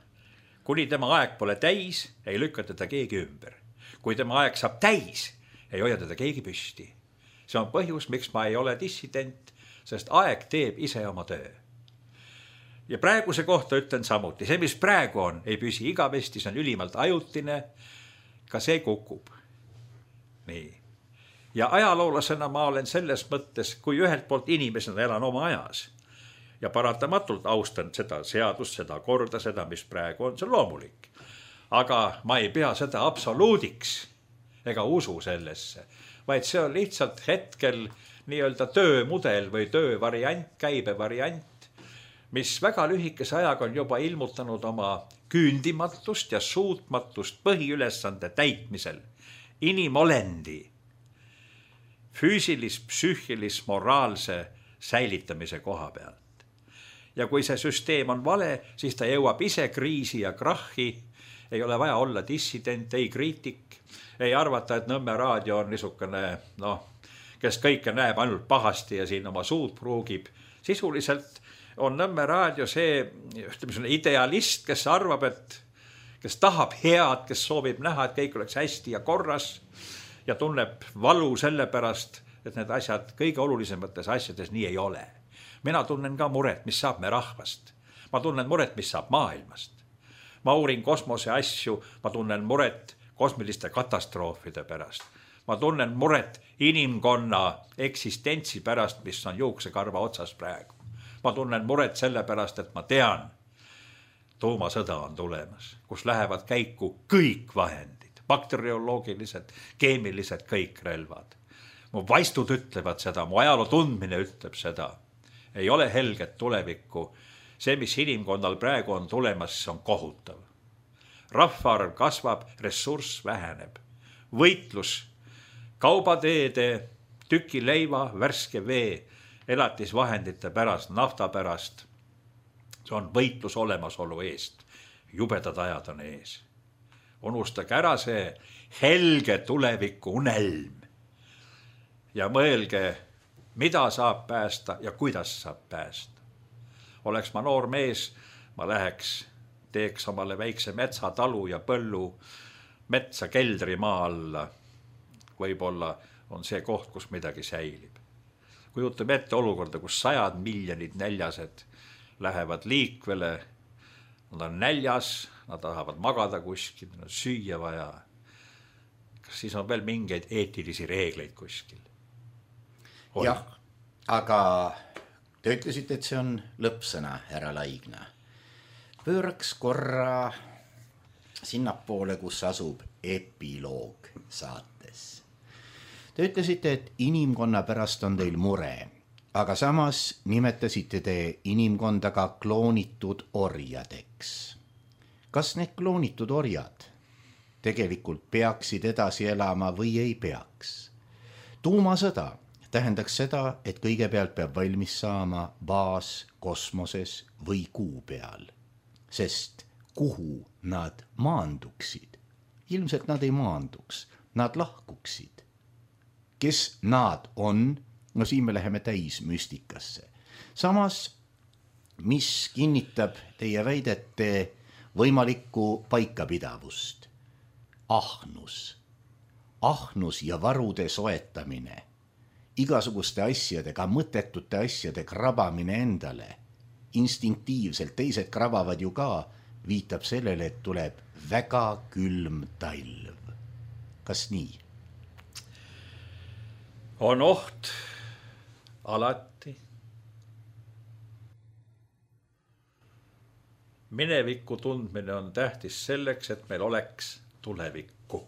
kuni tema aeg pole täis, ei lükka teda keegi ümber. Kui tema aeg saab täis, ei hoia teda keegi püsti. See on põhjus, miks ma ei ole dissident, sest aeg teeb ise oma töö. Ja praeguse kohta ütlen samuti, see, mis praegu on, ei püsi igavesti, see on ülimalt ajutine, ka see kukub. Nii. Ja ajaloolasena ma olen selles mõttes, kui ühelt poolt inimesena elan oma ajas ja paratamatult austan seda seadust, seda korda, seda, mis praegu on, see on loomulik. Aga ma ei pea seda absoluudiks ega usu sellesse, vaid see on lihtsalt hetkel nii-öelda töömudel või töövariant, käibevariant, mis väga lühikese ajaga on juba ilmutanud oma küündimatust ja suutmatust põhiülesande täitmisel inimolendi füüsilis, psüühilis, moraalse säilitamise koha pealt. Ja kui see süsteem on vale, siis ta jõuab ise kriisi ja krahhi, ei ole vaja olla dissident, ei kriitik, ei arvata, et Nõmme raadio on niisugune, noh, kes kõike näeb ainult pahasti ja siin oma suud pruugib. Sisuliselt on Nõmme raadio see ütleme, idealist, kes arvab, et kes tahab head, kes soovib näha, et kõik oleks hästi ja korras ja tunneb valu selle pärast, et need asjad kõige olulisemates asjades nii ei ole. Mina tunnen ka muret, mis saab me rahvast. Ma tunnen muret, mis saab maailmast. Ma uurin kosmose asju, ma tunnen muret kosmiliste katastroofide pärast. Ma tunnen muret inimkonna eksistentsi pärast, mis on juuksekarva otsas praegu. Ma tunnen muret selle pärast, et ma tean, tuumasõda on tulemas, kus lähevad käiku kõik vahendid, bakterioloogilised, keemilised, kõik relvad. Mu vaistud ütlevad seda, mu ajaloo tundmine ütleb seda. Ei ole helget tulevikku. See, mis inimkonnal praegu on tulemas, on kohutav. Rahvaarv kasvab, ressurss väheneb. Võitlus kaubateede, tüki leiva, värske vee, elatisvahendite pärast, nafta pärast. See on võitlus olemasolu eest. Jubedad ajad on ees. Unustage ära see helge tuleviku unelm. Ja mõelge, mida saab päästa ja kuidas saab päästa. Oleks ma noor mees, ma läheks, teeks omale väikse metsatalu ja põllu, metsa keldri maa alla. Võib-olla on see koht, kus midagi säilib. Kujutame ette olukorda, kus sajad miljonid näljased lähevad liikvele, nad on näljas, nad tahavad magada kuskil, nad on süüa vaja. Kas siis on veel mingeid eetilisi reegleid kuskil? On. Jah, aga te ütlesite, et see on lõppsõna, härra Laigna. Pööraks korra sinnapoole, kus asub epiloog saates. Te ütlesite, et inimkonna pärast on teil mure, aga samas nimetasite te inimkonda ka kloonitud orjadeks. Kas need kloonitud orjad tegelikult peaksid edasi elama või ei peaks? Tuumasõda tähendaks seda, et kõigepealt peab valmis saama baas kosmoses või kuu peal, sest kuhu nad maanduksid? Ilmselt nad ei maanduks, nad lahkuksid. Kes nad on? No siin me läheme täis müstikasse. Samas, mis kinnitab teie väidete võimalikku paikapidavust? Ahnus. Ahnus ja varude soetamine. Igasuguste asjadega, mõttetute asjade krabamine endale, instinktiivselt, teised krabavad ju ka, viitab sellele, et tuleb väga külm talv. Kas nii? On oht alati. Mineviku tundmine on tähtis selleks, et meil oleks tulevikku.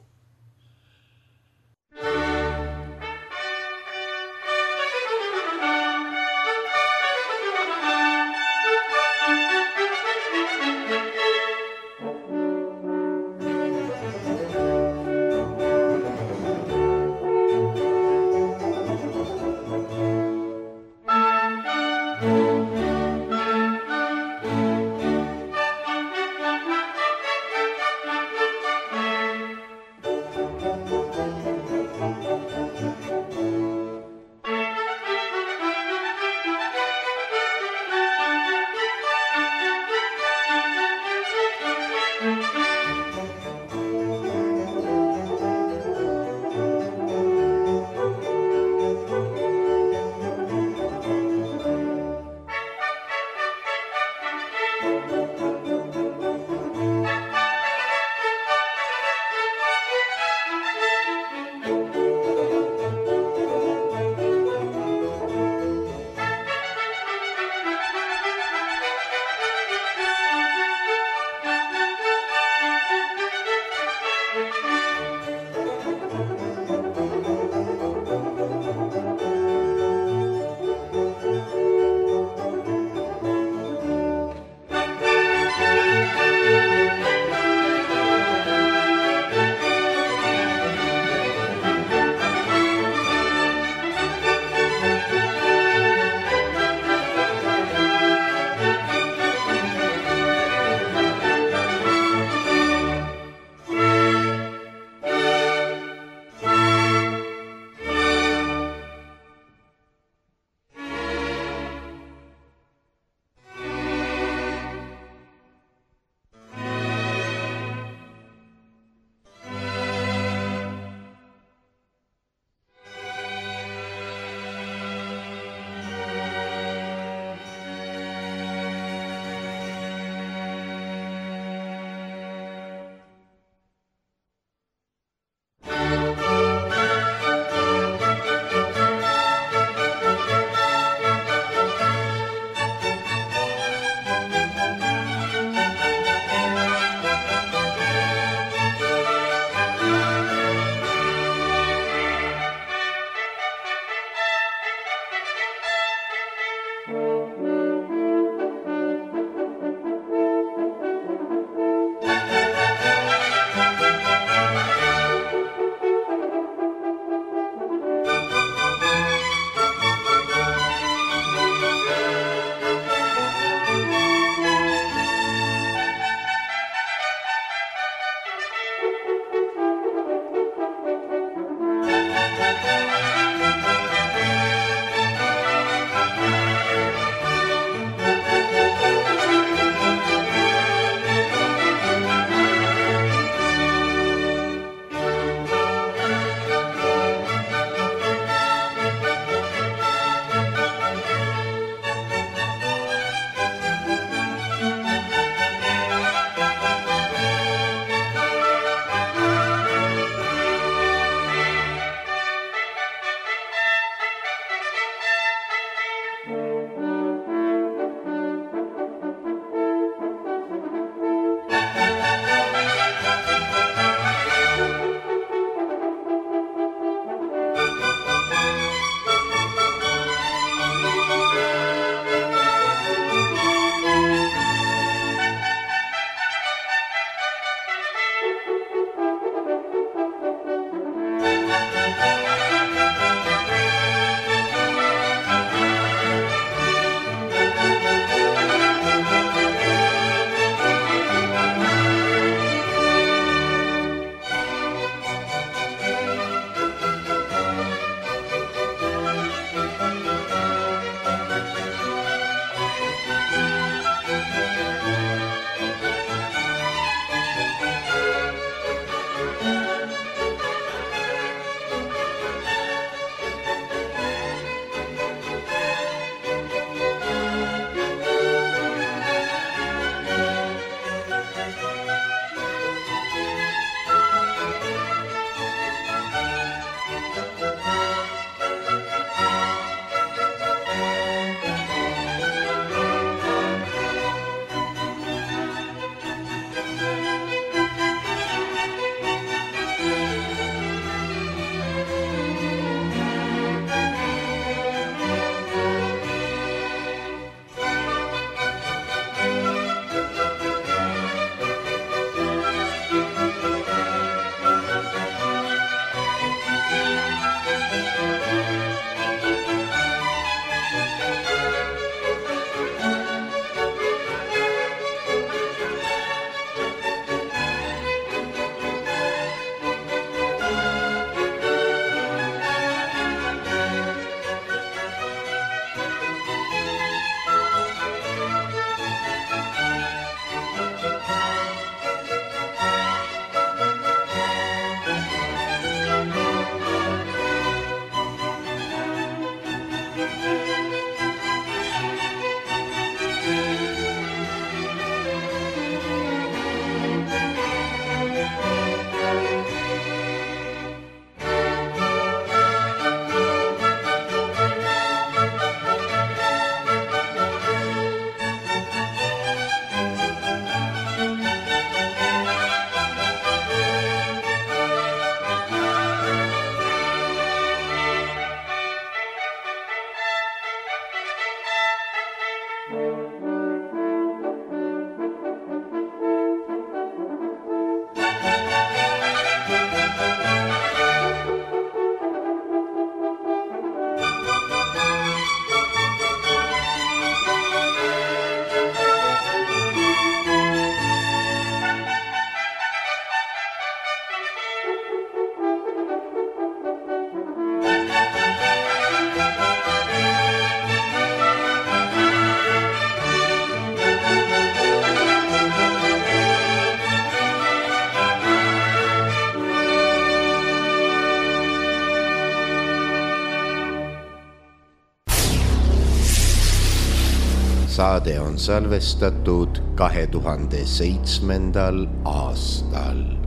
Saade on salvestatud kahe tuhande seitsmendal aastal.